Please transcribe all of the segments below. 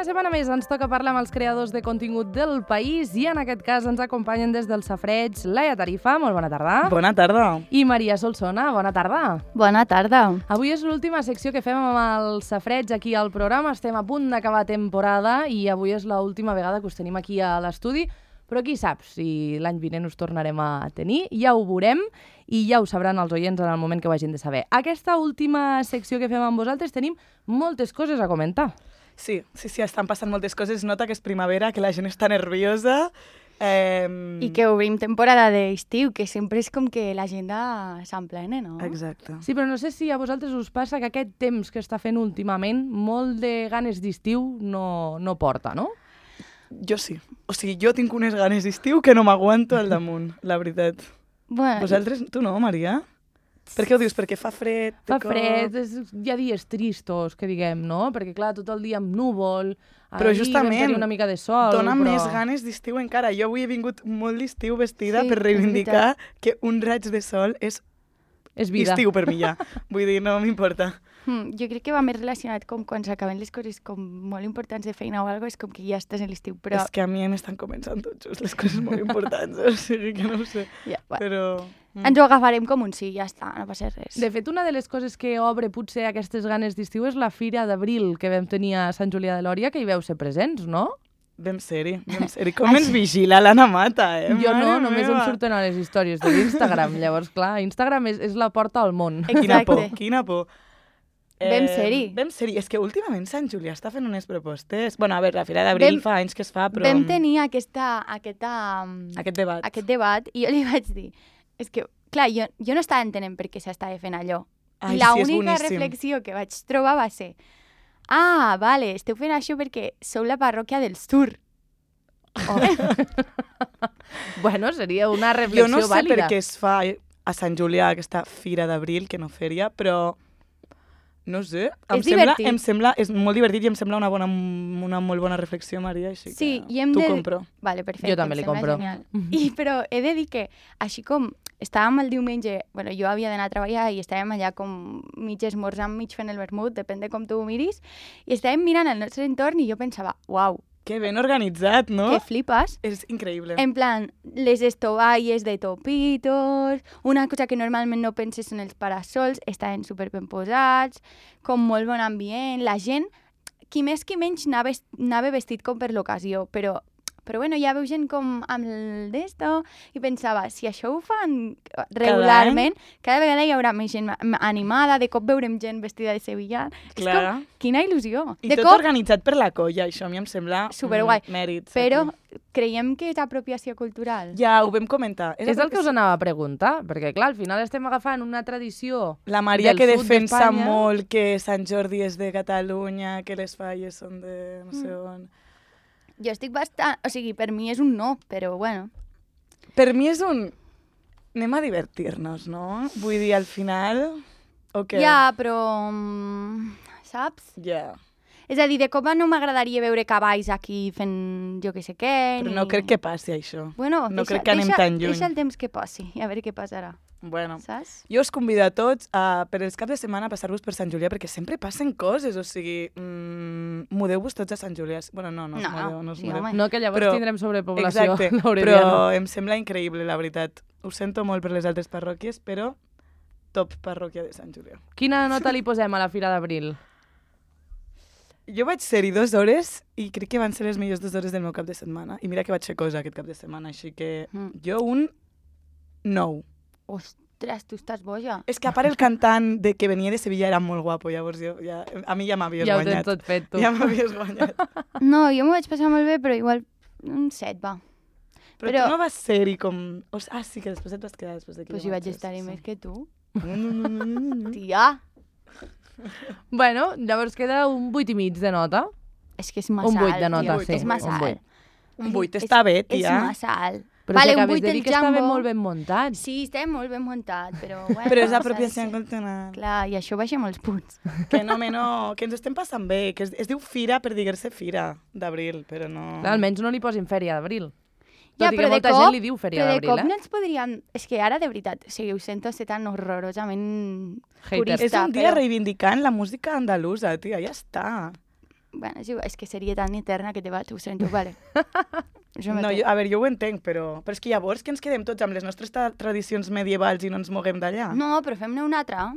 setmana més ens toca parlar amb els creadors de contingut del país i en aquest cas ens acompanyen des del Safareig Laia Tarifa, molt bona tarda. Bona tarda. I Maria Solsona, bona tarda. Bona tarda. Avui és l'última secció que fem amb el Safareig aquí al programa. Estem a punt d'acabar temporada i avui és l'última vegada que us tenim aquí a l'estudi. Però qui sap si l'any vinent us tornarem a tenir, ja ho veurem i ja ho sabran els oients en el moment que ho hagin de saber. Aquesta última secció que fem amb vosaltres tenim moltes coses a comentar. Sí, estan passant moltes coses. Es nota que és primavera, que la gent està nerviosa. I que obrim temporada d'estiu, que sempre és com que l'agenda s'emplena, no? Exacte. Sí, però no sé si a vosaltres us passa que aquest temps que està fent últimament, molt de ganes d'estiu no porta, no? Jo sí. O sigui, jo tinc unes ganes d'estiu que no m'aguanto al damunt, la veritat. Bueno, Vosaltres, tu no, Maria? Per què ho dius? Perquè fa fred? Fa fred, hi ha dies tristos, que diguem, no? Perquè, clar, tot el dia amb núvol, però justament una mica de sol, dona però... més ganes d'estiu encara. Jo avui he vingut molt d'estiu vestida Sí, per reivindicar és que un raig de sol és vida. estiu per mi ja. Vull dir, no m'importa. jo crec que va més relacionat com quan s'acaben les coses com molt importants de feina o alguna cosa, és com que ja estàs en l'estiu, però... És que a mi m'estan començant tot just les coses molt importants, o sigui que no ho sé. Ja, bueno. Però... Ens ho agafarem com un sí, ja està, no passa res. De fet, una de les coses que obre potser aquestes ganes d'estiu és la Fira d'Abril que vam tenir a Sant Julià de Lòria, que hi veu ser presents, no? Vam ser-hi. Com ens vigila l'Anna Mata, Jo no, Mare només meva. em surten a les històries de l'Instagram. Llavors, clar, Instagram és la porta al món. Quina por, Exacte. quina por. Vam ser-hi. Vam ser-hi. És que últimament Sant Julià està fent unes propostes. Bueno, a veure, la Fira d'Abril fa anys que es fa, però... Vam tenir aquest debat. debat i jo li vaig dir, és que, clar, jo no estava entenent per què s'estava fent allò. Ai, I la sí, és única boníssim. reflexió que vaig trobar va ser vale, esteu fent això perquè sou la parròquia del sur. Bueno, seria una Jo reflexió no sé vàlida. per què es fa a Sant Julià aquesta Fira d'Abril, que no fèria, però... No sé, És divertit. és molt divertit i em sembla una molt bona reflexió, Maria, així Sí, que i hem t'ho de... compro. Vale, perfecte. Jo també li em sembla compro. Genial. Però he de dir que, així com estàvem el diumenge, bueno, jo havia d'anar a treballar i estàvem allà com mig esmorzant, mig fent el vermut, depèn de com tu ho miris, i estàvem mirant el nostre entorn i jo pensava, uau, Que ben organitzat, no? que flipes. És increïble. En plan, les estovalles de topitos, una cosa que normalment no penses en els parasols, estaven super ben posats, com molt bon ambient, la gent, qui més qui menys anava vestit com per l'ocasió, però bueno, ja veu gent com amb el d'esto i pensava, si això ho fan regularment, cada vegada hi haurà més gent animada, de cop veurem gent vestida de sevillà. És Clar. com, quina il·lusió. I De tot cop, organitzat per la colla, això a mi em sembla Superguai. mèrit. però aquí. creiem que és apropiació cultural. Ja, ho vam comentar. És el que us anava a preguntar, perquè clar, al final estem agafant una tradició La Maria del que sud defensa d'Espanya. molt que Sant Jordi és de Catalunya, que les falles són de no sé on... Jo estic bastant... O sigui, per mi és un no, però bueno. Per mi és un... Anem a divertir-nos, no? Vull dir, al final... O què? Ja, però... saps? Ja. És a dir, de cop no m'agradaria veure cavalls aquí fent jo que sé què. Però no crec que passi això. Bueno, no crec que anem tan lluny. Deixa el temps que passi, i a veure què passarà. Bueno, Saps? jo us convido a tots per els caps de setmana a passar-vos per Sant Julià, perquè sempre passen coses, o sigui, mudeu-vos tots a Sant Julià. Bueno, no us mudeu, no us sí, mudeu. home. No, que llavors Però- tindrem sobrepoblació. Exacte, L'Aureliano. però em sembla increïble, la veritat. Ho sento molt per les altres parròquies, però top parròquia de Sant Julià. Quina nota li posem a la Fira d'Abril? Jo vaig ser-hi 2 hores i crec que van ser les millors 2 hores del meu cap de setmana. I mira que vaig fer cosa aquest cap de setmana, així que jo un 9. Ostres, tu estàs boja. És que a part el cantant de que venia de Sevilla era molt guapo, llavors a mi ja m'havies Ja ho tens guanyat. tot fet, tu. Ja m'havies guanyat. No, jo m'ho vaig passar molt bé, però igual un 7, va. Però tu no vas ser-hi com... sí, que després et vas quedar després d'aquí. Però si vaig estar-hi més que tu. No. Tia, Bueno, llavors queda un 8,5 de nota. és que és massa Un 8 alt, de nota, tio. sí. És massa un alt. 8. Un 8 està bé, És tia. massa alt. Però Vale, si un acabes 8 de dir el que estava Jambo. molt ben muntat. Sí, estem molt ben muntat, però bueno. Però és s'ha de apropiació ser. cultural. Clar, i això baixa molts punts. Que no, que ens estem passant bé, que es diu Fira per dir-se Fira d'Abril, però no... Clar, almenys no li posin fèria d'abril. Ja, Tot i que però de molta cop- gent li diu fèria Però de d'abril, cop eh? no ens podríem... És que ara, de veritat, o sigui, ho sento ser tan horrorosament Hater. purista. És un dia però... reivindicant la música andalusa, tia, ja està. Bueno, és que seria tan eterna que te vaig, ho sento, vale. No, jo ho entenc, però és que llavors que ens quedem tots amb les nostres tradicions medievals i no ens moguem d'allà? No, però fem-ne una altra.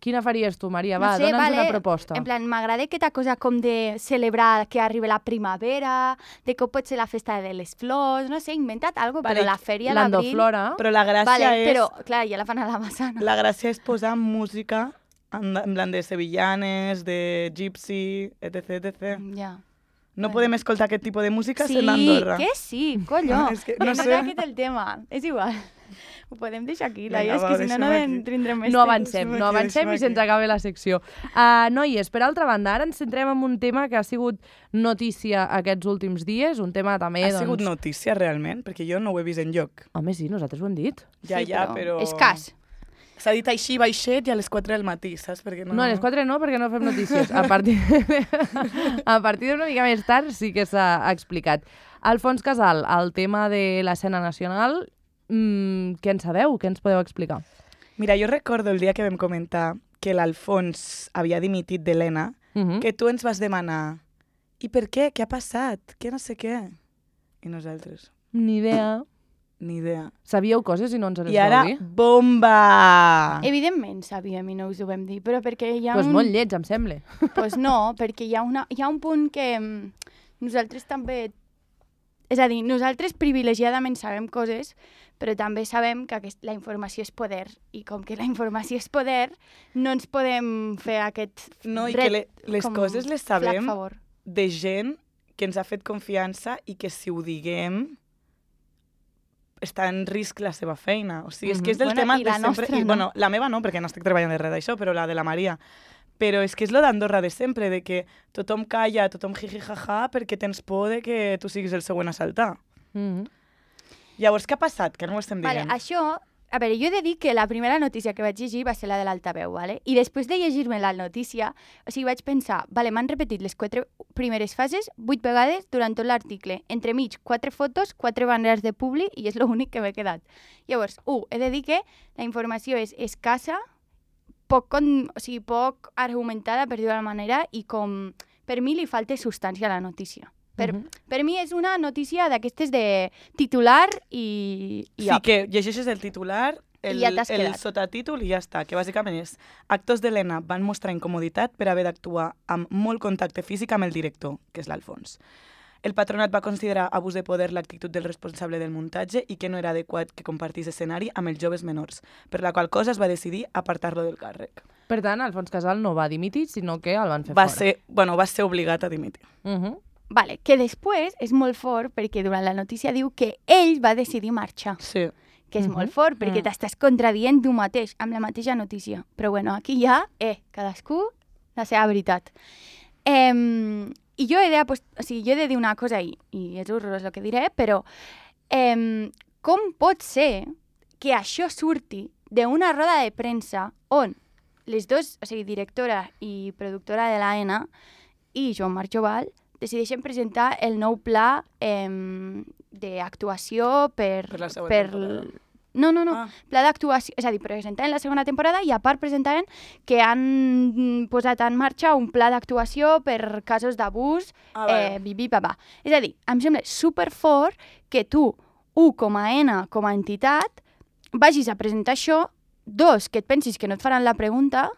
Quina faries tu, Maria? Va, No sé, dona'ns una proposta. En plan, m'agrada aquesta cosa com de celebrar que arriba la primavera, de que pot ser la festa de les flors, no sé, inventa't alguna cosa, però la fèria d'abril... L'Andoflora. Però la gràcia és... Però, clar, ja la fan a la Massana. La gràcia és posar música en plan de sevillanes, de gypsy, etc. Ja. No podem escoltar aquest tipus de música Sí, sent Andorra. que sí, colló. És que No no sé. sé. Aquest és el tema, és igual. Ho podem deixar aquí, Vinga, és va, que si no, no deixem aquí. tindrem més No temps. avancem i se'ns acaba la secció. Noies, per altra banda, ara ens centrem en un tema que ha sigut notícia aquests últims dies, un tema també, Ha sigut notícia realment? Perquè jo no ho he vist enlloc. Home, sí, nosaltres ho hem dit. Ja, Sí, però... Escàs. S'ha dit així baixet i a les 4 del matí, saps? Perquè No, a les 4 no, perquè no fem notícies. A partir d'una mica més tard sí que s'ha explicat. Alfons Casal, el tema de l'escena nacional, què en sabeu? Què ens podeu explicar? Mira, jo recordo el dia que vam comentar que l'Alfons havia dimitit d'Helena, que tu ens vas demanar i per què? Què ha passat? Què no sé què? I nosaltres, Ni idea. ni idea. Sabíeu coses i no ens les I ara, vau dir? bomba! Evidentment sabíem i no us ho vam dir, però perquè hi ha Pues molt lleig, em sembla. Pues no, perquè hi ha un punt que nosaltres també... És a dir, nosaltres privilegiadament sabem coses, però també sabem que la informació és poder. I com que la informació és poder, no ens podem fer aquest No, i que les com coses les flac sabem favor. de gent que ens ha fet confiança i que si ho diguem està en risc la seva feina. O sigui, és que és del Bueno, tema i de la sempre... nostra, no? Bueno, la meva no, perquè no estic treballant de res d'això, però la de la Maria. Però és que és lo d'Andorra de sempre, de que tothom calla, tothom jiji-jaja, perquè tens por de que tu siguis el següent a saltar. Llavors, què ha passat? Que no ho estem Vale, dient. això... A veure, jo he de dir que la primera notícia que vaig llegir va ser la de l'altaveu, ¿vale? I després de llegir-me la notícia, o sigui, vaig pensar, vale, m'han repetit les 4 primeres fases 8 vegades durant tot l'article. Entremig, 4 fotos, 4 banderes de publi i és l'únic que m'he quedat. Llavors, he de dir que la informació és escassa, poc argumentada, per dir-ho d'alguna manera, i com per mi li falta substància a la notícia. Per mi és una notícia d'aquestes de titular i Sí, que llegeixes el titular, el sotatítol i ja està, que bàsicament és actors d'Helena van mostrar incomoditat per haver d'actuar amb molt contacte físic amb el director, que és l'Alfons. El patronat va considerar abús de poder l'actitud del responsable del muntatge i que no era adequat que compartís escenari amb els joves menors, per la qual cosa es va decidir apartar-lo del càrrec. Per tant, Alfons Casal no va dimitir, sinó que el van fer fora. Va ser obligat a dimitir. Vale, que després és molt fort perquè durant la notícia diu que ell va decidir marxar. Sí. Que és molt fort perquè t'estàs contradient tu mateix amb la mateixa notícia. Però bueno, aquí ja, cadascú la seva veritat. I jo he de dir una cosa i és horrorós el que diré, però com pot ser que això surti d'una roda de premsa on les dos, o sigui, directora i productora de l'AENA i Joan Marc Jovall, decideixen presentar el nou pla d'actuació per la següent temporada. No. Pla d'actuació, és a dir, presentaven la segona temporada i a part presentaven que han posat en marxa un pla d'actuació per casos d'abús, bibi-babà. És a dir, em sembla superfort que tu, com a ENA, com a entitat, vagis a presentar això, 2, que et pensis que no et faran la pregunta...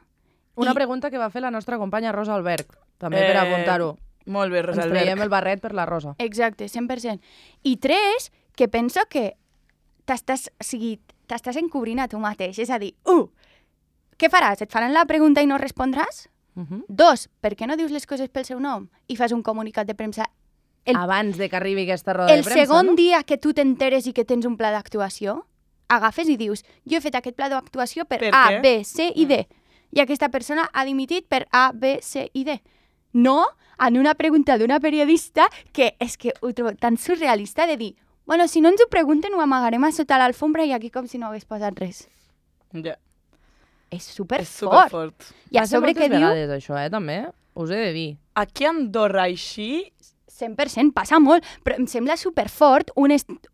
Una pregunta que va fer la nostra companya Rosa Alberg, també per apuntar-ho. Molt bé, Rosa Alberg. Ens traiem el barret per la Rosa. Exacte, 100%. I 3, que penso que t'estàs encobrint a tu mateix. És a dir, 1, què faràs? Et faran la pregunta i no respondràs? 2, per què no dius les coses pel seu nom i fas un comunicat de premsa? Abans de que arribi aquesta roda de premsa, El segon dia que tu t'enteres i que tens un pla d'actuació, agafes i dius, jo he fet aquest pla d'actuació per A, B, C i D. I aquesta persona ha dimitit per A, B, C i D. No en una pregunta d'una periodista que és que ho trobo tan surrealista de dir, bueno, si no ens ho pregunten ho amagarem a sota l'alfombra i aquí com si no hagués passat res. Ja. És superfort. És superfort. I a sobre que diu... vegades això, també. Us he de dir. Aquí a Andorra així... 100%, passa molt, però em sembla superfort, o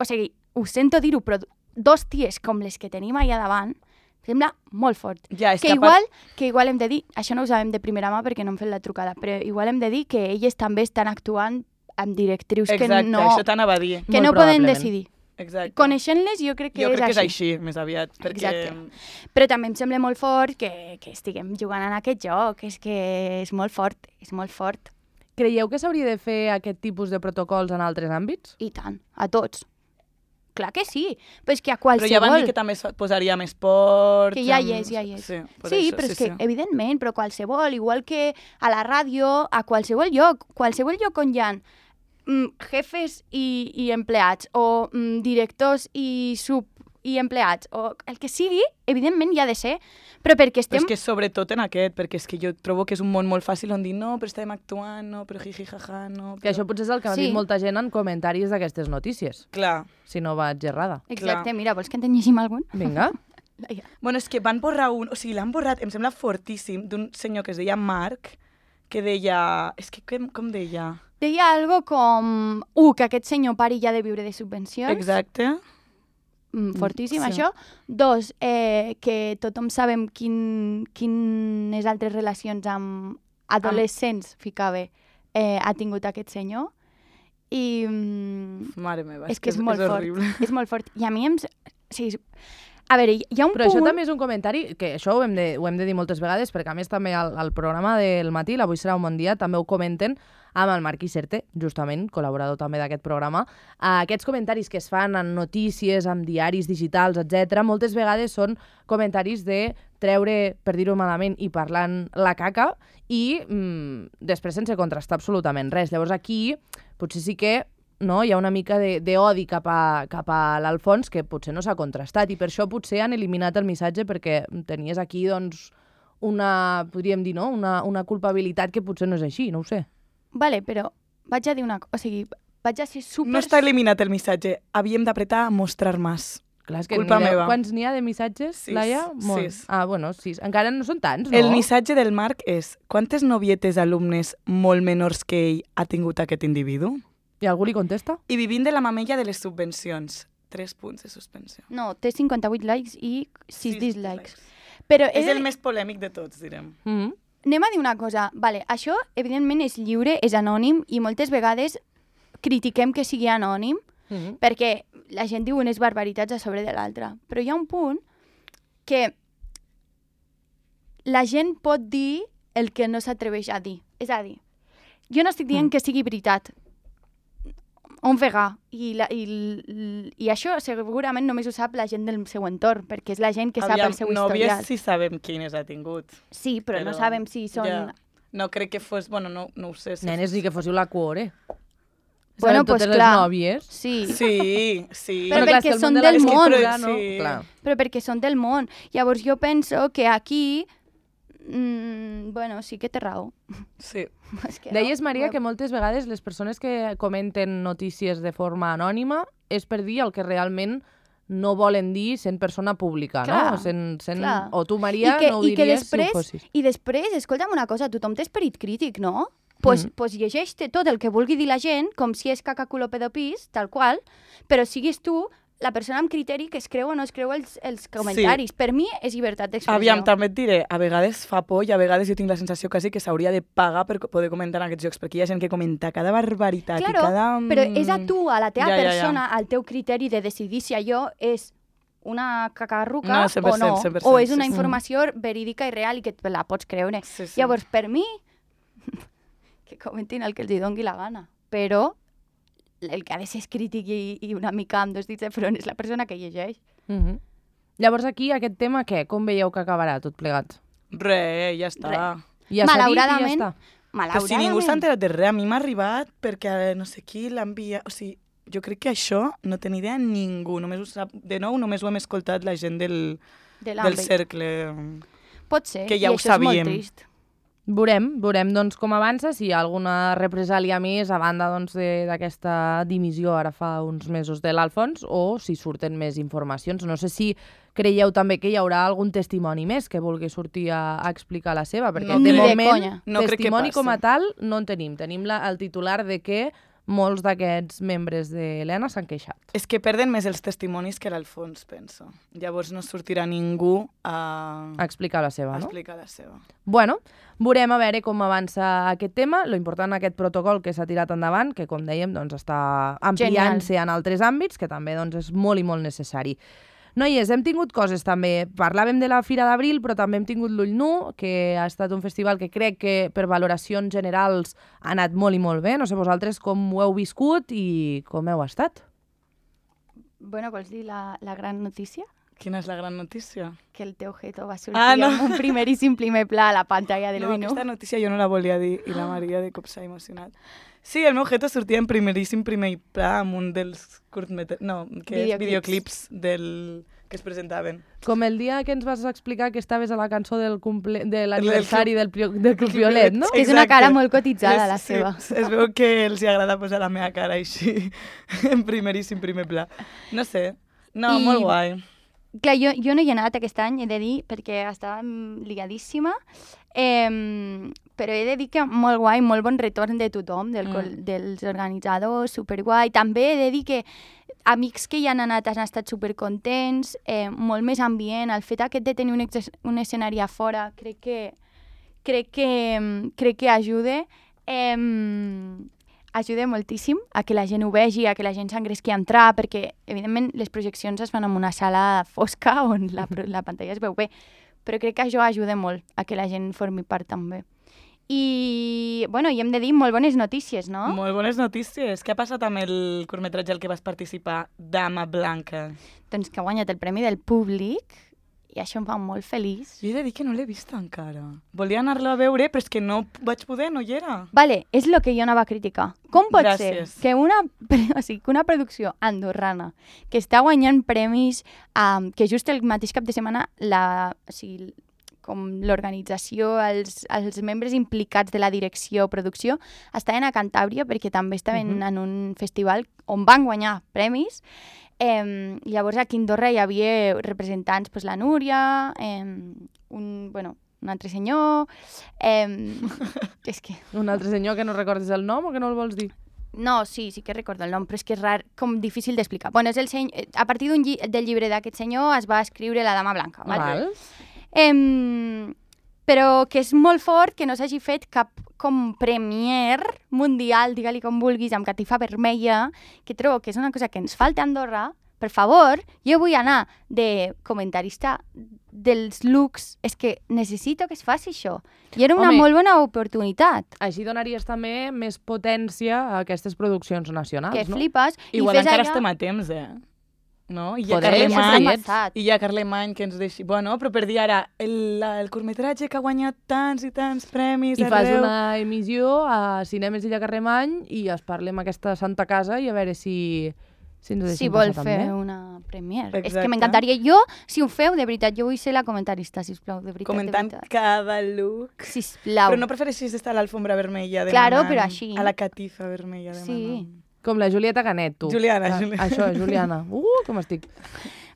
sigui, ho sento dir-ho, però 2 ties com les que tenim allà davant, Sembla molt fort. Ja, que igual hem de dir, això no ho sabem de primera mà perquè no hem fet la trucada, però igual hem de dir que elles també estan actuant amb directrius que no... Exacte, això t'anava a dir. Que no poden decidir. Exacte. Coneixent-les jo crec que és així. Jo crec que és així, més aviat. Perquè... Exacte. Però també em sembla molt fort que estiguem jugant en aquest joc, és que és molt fort, és molt fort. Creieu que s'hauria de fer aquest tipus de protocols en altres àmbits? I tant, a tots. Clar que sí, però és que a qualsevol... Però ja van dir que també es posaria més esport... Que ja hi és. Sí, però és que, evidentment, però qualsevol, igual que a la ràdio, a qualsevol lloc on hi ha jefes i empleats, o directors i empleats, o el que sigui, evidentment hi ha de ser, però perquè estem... Però és que sobretot en aquest, perquè és que jo trobo que és un món molt fàcil on dir no, però estem actuant, no, però jiji, jaja, no... Però... Que això potser és el que ha dit molta gent en comentaris d'aquestes notícies. Clar. Si no vaig errada. Exacte, mira, vols que en llegim algun? Vinga. Bueno, és que van borrar un... O sigui, l'han borrat, em sembla fortíssim, d'un senyor que es deia Marc, que deia... És que com deia? Deia algo com... que aquest senyor pari ja de viure de subvencions. Exacte. Fortíssim, això. 2, que tothom sabem quines altres relacions amb adolescents, ficava, ha tingut aquest senyor. I... Mare meva, és que és molt horrible. fort. És molt fort. I a mi em... Sí, a veure, hi ha un Però punt... això també és un comentari, que això ho hem de dir moltes vegades, perquè a més també al programa del matí, l'Avui serà un bon dia, també ho comenten amb el Marc Iserte, justament, col·laborador també d'aquest programa. Aquests comentaris que es fan en notícies, en diaris digitals, etc., moltes vegades són comentaris de treure, per dir-ho malament, i parlant la caca, i després sense contrastar absolutament res. Llavors aquí potser sí que hi ha una mica d'odi cap a l'Alfons que potser no s'ha contrastat, i per això potser han eliminat el missatge, perquè tenies aquí doncs, podríem dir, una culpabilitat que potser no és així, no ho sé. Vale, però vaig a dir una cosa, o sigui, vaig a ser super... No està eliminat el missatge, havíem d'apretar a mostrar més. Clar, és que culpa meva. Quants n'hi ha de missatges, Laia? 6. Ah, bueno, 6. Encara no són tants, no? El missatge del Marc és: quantes novietes alumnes molt menors que ell ha tingut aquest individu? I algú li contesta? I vivint de la mamella de les subvencions. 3 punts de suspensió. No, té 58 likes i 6 dislikes. Però és el més polèmic de tots, direm. Anem a dir una cosa. Vale, això, evidentment, és lliure, és anònim, i moltes vegades critiquem que sigui anònim, perquè la gent diu unes barbaritats a sobre de l'altra. Però hi ha un punt que la gent pot dir el que no s'atreveix a dir. És a dir, jo no estic dient que sigui veritat. Un vegà. I això segurament només ho sap la gent del seu entorn, perquè és la gent que sap el seu historial. Nòvies sí sabem quines ha tingut. Sí, però no sabem si són... Ja. No crec que fos... Bueno, no ho sé. Nenes, ni que fóssiu la cuore. Bueno, pues clar. Les nòvies. Sí. Sí. Però perquè són del món. Però perquè són del món. Llavors jo penso que aquí... bueno, sí que té raó. Sí. Deies, Maria, que moltes vegades les persones que comenten notícies de forma anònima és per dir el que realment no volen dir sent persona pública, clar, no? O tu, Maria, no ho diries si ho fossis. I després, escolta'm una cosa, tothom té esperit crític, no? Pues llegeix-te tot el que vulgui dir la gent, com si és caca culo pedopis, tal qual, però siguis tu la persona amb criteri que es creu o no es creu els comentaris. Sí. Per mi és llibertat d'expressió. Aviam, també et diré, a vegades fa por i a vegades jo tinc la sensació quasi que s'hauria de pagar per poder comentar en aquests jocs, perquè hi ha gent que comenta cada barbaritat claro, i cada... però és a tu, a la teva persona, al teu criteri de decidir si allò és una cacarruca 100%, o no, 100%, o és una informació verídica i real i que la pots creure. Sí. Llavors, per mi, que comentin el que els doni la gana, però el que ha de ser crític i una mica amb 2 dits de front és la persona que llegeix. Llavors aquí, aquest tema, què? Com veieu que acabarà tot plegat? Ja està. Ja malauradament, ja està. Però si ningú s'ha enterat de res, a mi m'ha arribat perquè no sé qui l'envia... O sigui, jo crec que això no té ni idea ningú. Només ho sap, de nou, només ho hem escoltat la gent del cercle. Pot ser, que ja i ho això sabíem. És molt trist. Veurem doncs, com avança, si hi ha alguna represàlia més a banda doncs, d'aquesta dimissió ara fa uns mesos de l'Alfons o si surten més informacions. No sé si creieu també que hi haurà algun testimoni més que vulgui sortir a explicar la seva, perquè no, de moment conya. testimoni com a tal no en tenim. Tenim el titular de que molts d'aquests membres de l'ENA s'han queixat. És que perden més els testimonis que l'Alfons, penso. Llavors no sortirà ningú a explicar la seva, no? explicar la seva. Bueno, veurem a veure com avança aquest tema. Lo important aquest protocol que s'ha tirat endavant, que com dèiem doncs, està ampliant-se en altres àmbits, que també doncs, és molt i molt necessari. Noies, hem tingut coses també. Parlàvem de la Fira d'Abril, però també hem tingut l'Ull Nu, que ha estat un festival que crec que per valoracions generals ha anat molt i molt bé. No sé vosaltres com ho heu viscut i com heu estat. Bueno, vols dir la gran notícia? Quina és la gran notícia? Que el teu Geto va sortir amb un primeríssim primer pla a la pantalla de l'Ull Nu. No, aquesta notícia jo no la volia dir i la Maria de cop s'ha emocionat. Sí, el meu Geto sortia en primeríssim primer pla amb un dels videoclips que es presentaven. Com el dia que ens vas explicar que estaves a la cançó de l'aniversari del Club Violet, no? Que és una cara molt cotitzada, la seva. Es veu que els agrada posar la meva cara així, en primeríssim primer pla. No sé, molt guai. Clar, jo no hi he anat aquest any, he de dir, perquè estava ligadíssima, però he de dir que molt guai, molt bon retorn de tothom, dels organitzadors, superguai. També he de dir que amics que hi han anat han estat supercontents, molt més ambient, el fet aquest de tenir un escenari a fora crec que ajuda. Ajuda moltíssim a que la gent ho vegi, a que la gent s'engresqui a entrar, perquè, evidentment, les projeccions es fan en una sala fosca on la pantalla es veu bé, però crec que això ajuda molt a que la gent formi part també. I, bueno, i hem de dir molt bones notícies, no? Molt bones notícies. Què ha passat amb el curtmetratge al que vas participar, Dama Blanca? Doncs que ha guanyat el premi del públic, i això em fa molt feliç. Jo he de dir que no l'he vist encara. Volia anar-lo a veure, però és que no vaig poder, no hi era. Vale, és el que jo anava a criticar. Com pot ser que una producció andorrana que està guanyant premis, que just el mateix cap de setmana com l'organització, els membres implicats de la direcció o producció estaven a Cantàbria perquè també estaven en un festival on van guanyar premis. Llavors aquí a Andorra hi havia representants, la Núria, un altre senyor... és que... Un altre senyor que no recordes el nom o que no el vols dir? No, sí que recordo el nom, però és que és rar, com difícil d'explicar. Bueno, és a partir del llibre d'aquest senyor es va escriure La Dama Blanca. Val? Però que és molt fort que no s'hagi fet cap com premier mundial, digue-li com vulguis, amb catifa vermella, que trobo que és una cosa que ens falta a Andorra. Per favor, jo vull anar de comentarista dels looks. És que necessito que es faci això. I era una molt bona oportunitat. Així donaries també més potència a aquestes produccions nacionals, no? Que flipes. Igual encara estem a temps, no? I hi ha Carlemany que ens deixi... Bueno, però per dir ara, el curtmetratge que ha guanyat tants i tants premis I fas una emissió a Cinemes Illa Carlemany i es parla amb aquesta santa casa i a veure si ens ho deixem passar també. Si vol fer una premier. Exacte. És que m'encantaria. Jo, si ho feu, de veritat, jo vull ser la comentarista, sisplau, de veritat. Comentant cada look. Sisplau. Però no prefereixis estar a l'alfombra vermella demanant. Claro, però així. A la catifa vermella demanant. Sí. Com la Julieta Canet, tu. Juliana. Això, Juliana. Com estic.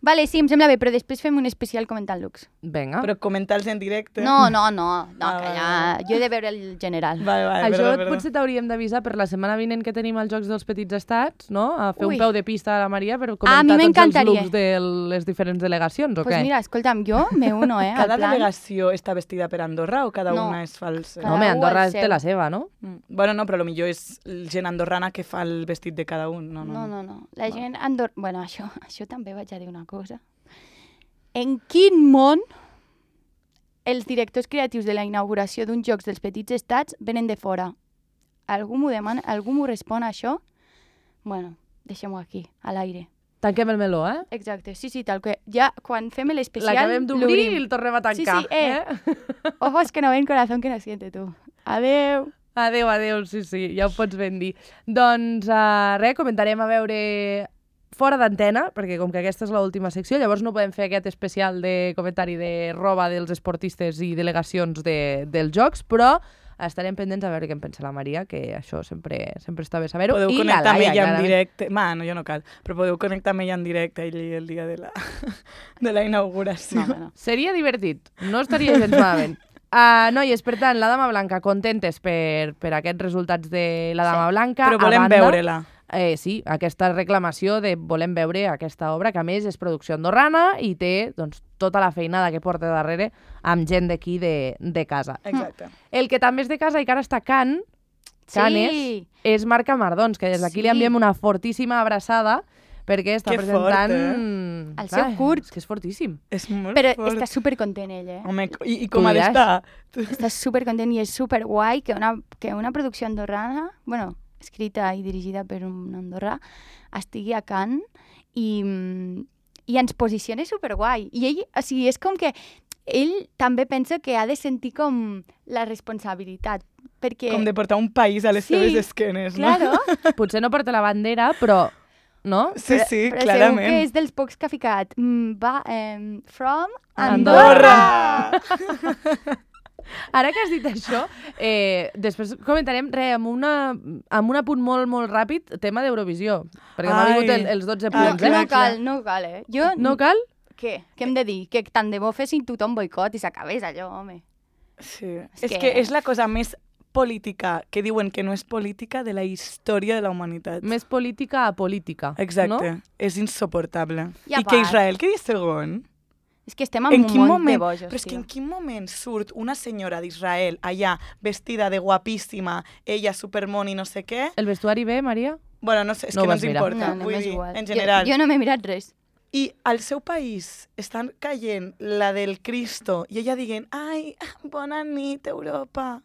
Vale, sí, em sembla bé, però després fem un especial comentant looks. Vinga. Però comentar-los en directe. No, que ja... Jo he de veure el general. Això potser t'hauríem d'avisar per la setmana vinent que tenim els Jocs dels Petits Estats, no? A fer un peu de pista a la Maria per comentar tots els looks de les diferents delegacions, o què? Pues mira, escolta'm, jo me uno, Cada delegació està vestida per Andorra o cada una és falsa? No, Andorra té la seva, no? Bueno, no, però potser és gent andorrana que fa el vestit de cada un. No. La gent andorrana... Bueno, això també vaig a dir una cosa. En quin món els directors creatius de la inauguració d'uns Jocs dels Petits Estats venen de fora? Algú m'ho demana? Algú m'ho respon a això? Bueno, deixem-ho aquí, a l'aire. Tanquem el meló, Exacte, sí, tal que ja quan fem l'especial... L'acabem d'obrir i el tornem a tancar. Sí, ojos que no ven, corazón que no siente, tu. Adeu. Adeu, sí, ja ho pots ben dir. Doncs comentarem a veure fora d'antena, perquè com que aquesta és l'última secció, llavors no podem fer aquest especial de comentari de roba dels esportistes i delegacions dels Jocs, però estarem pendents a veure què en pensa la Maria, que això sempre està bé saber-ho. Podeu connectar amb ella en directe. Jo no cal, però podeu connectar amb ella en directe el dia de la inauguració. No. Seria divertit, no estaria gens malament. Noies, per tant, la Dama Blanca, contentes per aquests resultats de la Dama Blanca. Però volem veure-la. Sí, aquesta reclamació de volem veure aquesta obra, que a més és producció andorrana i té tota la feinada que porta darrere amb gent d'aquí de casa. Exacte. El que també és de casa i que ara està a Canes, és Marc Amardons, que des d'aquí li enviem una fortíssima abraçada perquè està presentant... El seu curt. És que és fortíssim. És molt Però fort. està supercontent ell, Home, i com ha d'estar? Està supercontent i és superguai que una producció andorrana, bueno, escrita i dirigida per un andorrà, estigui a Cannes i ens posiciona superguai. I ell, o sigui, és com que ell també pensa que ha de sentir com la responsabilitat. Perquè... Com de portar un país a les seves esquenes, no? Claro. Potser no porta la bandera, però... No? Sí, però clarament. Però segur que és dels pocs que ha ficat from Andorra! Ara que has dit això, després comentarem amb un apunt molt, molt ràpid, tema d'Eurovisió, perquè m'ha vingut els 12 punts. No cal, Jo... No cal? Què? Què hem de dir? Que tant de bo fessin tothom boicot i s'acabés allò, home. Sí. És que és la cosa més política, que diuen que no és política, de la història de la humanitat. Més política a política, exacte. No? És insuportable. I que Israel quedi segon. És que estem en un món de bojos, però és que en quin moment surt una senyora d'Israel allà, vestida de guapíssima, ella supermon i no sé què? El vestuari bé, Maria? Bueno, no sé, és que no ens importa. No, vull dir, igual. En general. Jo no m'he mirat res. I al seu país estan caient la del Cristo i ella dient, ai, bona nit, Europa.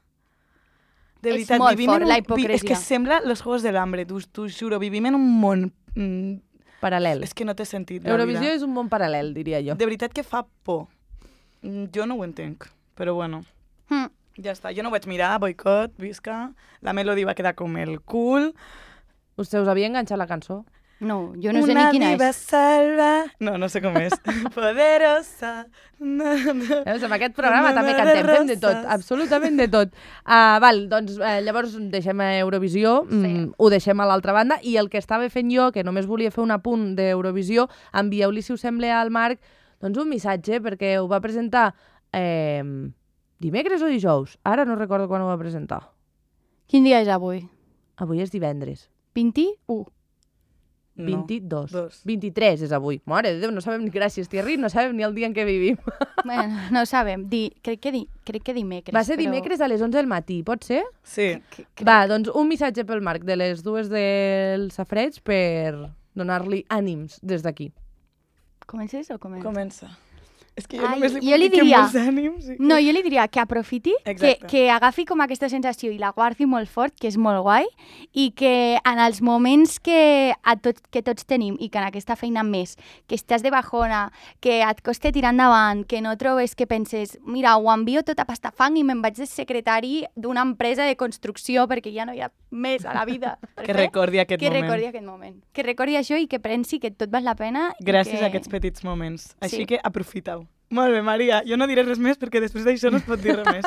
De veritat, és molt fort, la hipocresia. És que sembla los Juegos del Hambre, t'ho juro, vivim en un món... paral·lel. És que no té sentit, Eurovisió és un món paral·lel, diria jo. De veritat que fa por. Jo no ho entenc, però bueno. Ja està, jo no ho vaig mirar, boicot, visca. La Melody va quedar com el cul. Us havia enganxat la cançó? No, jo no sé ni quina és. Una diva salva... No sé com és. Poderosa. En aquest programa també cantem, fem de tot, absolutament de tot. Doncs llavors deixem Eurovisió, ho deixem a l'altra banda, i el que estava fent jo, que només volia fer un apunt d'Eurovisió, envieu-li, si us sembla, al Marc, doncs un missatge, perquè ho va presentar dimecres o dijous? Ara no recordo quan ho va presentar. Quin dia és avui? Avui és divendres. 21. 22. No, 23 és avui. Mare de Déu, no sabem ni, gràcies, Thierry, no sabem ni el dia en què vivim. Bueno, no ho sabem. Crec que dimecres. Va ser dimecres a les 11 del matí, pot ser? Sí. Va, doncs un missatge pel Marc de les 2 del Safareig per donar-li ànims des d'aquí. Comences o comences? Comença. És que jo només li puc dir que molts ànims. No, jo li diria que aprofiti, que agafi com aquesta sensació i la guardi molt fort, que és molt guai, i que en els moments que tots tenim, i que en aquesta feina més, que estàs de bajona, que et costa tirar endavant, que no trobes que penses, mira, ho envio tot a pastafang i me'n vaig de secretari d'una empresa de construcció perquè ja no hi ha més a la vida. Que recordi aquest moment. Que recordi això i que pensi que tot val la pena. Gràcies a aquests petits moments. Així que aprofita-ho. Molt bé, Maria. Jo no diré res més perquè després d'això no es pot dir res més.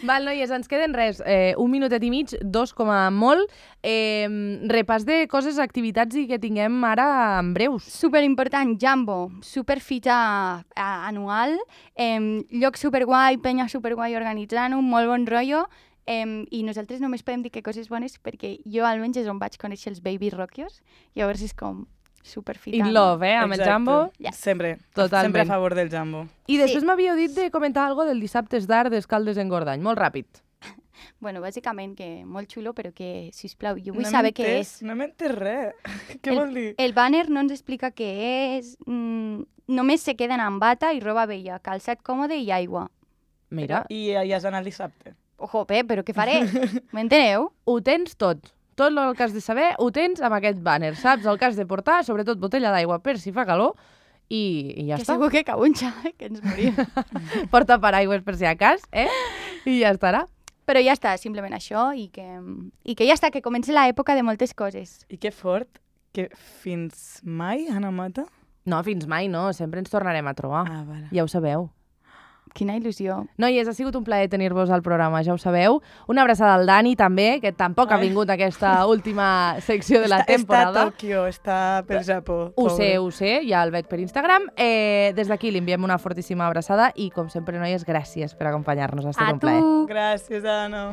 Val, noies, ens queden res. 1 minutet i mig, 2 com a molt. Repàs de coses, activitats i que tinguem ara en breus. Superimportant, Jambo. Superfita anual. Lloc superguai, penya superguai organitzant-ho, molt bon rotllo. I nosaltres només podem dir que coses bones perquè jo almenys és on vaig conèixer els Baby Rockios. Llavors és com... superfita. In love, amb el Jambo. Yes. Sempre. Totalment. Sempre a favor del Jambo. I després m'havíeu dit de comentar alguna del Dissabtes d'Art d'Escaldes en Gordany. Molt ràpid. Bueno, bàsicament que molt xulo, però que, sisplau, jo vull saber què és. No m'entès res. Què vol dir? El banner no ens explica què és. Només se queden amb bata i roba vella, calçat còmode i aigua. Mira. I ja has anat dissabte. Ojo, però què faré? M'enteneu? Ho tens tot. Tot el que has de saber ho tens amb aquest banner, saps? El que has de portar, sobretot botella d'aigua per si fa calor, i ja està. Que segur que cau un xai, que ens morim. Porta paraigües per si a cas, I ja estarà. Però ja està, simplement això, i que ja està, que comença l'època de moltes coses. I que fort, que fins mai, Anna Mata? No, fins mai no, sempre ens tornarem a trobar. Ah, vale. Ja ho sabeu. Quina il·lusió. Noies, ha sigut un plaer tenir-vos al programa, ja ho sabeu. Una abraçada al Dani, també, que tampoc ha vingut a aquesta última secció de la temporada. Està a Tòquio, està per Japó. Ho sé, ja el veig per Instagram. Des d'aquí li enviem una fortíssima abraçada i, com sempre, noies, gràcies per acompanyar-nos. Ha estat un plaer. A tu! Gràcies, Anna.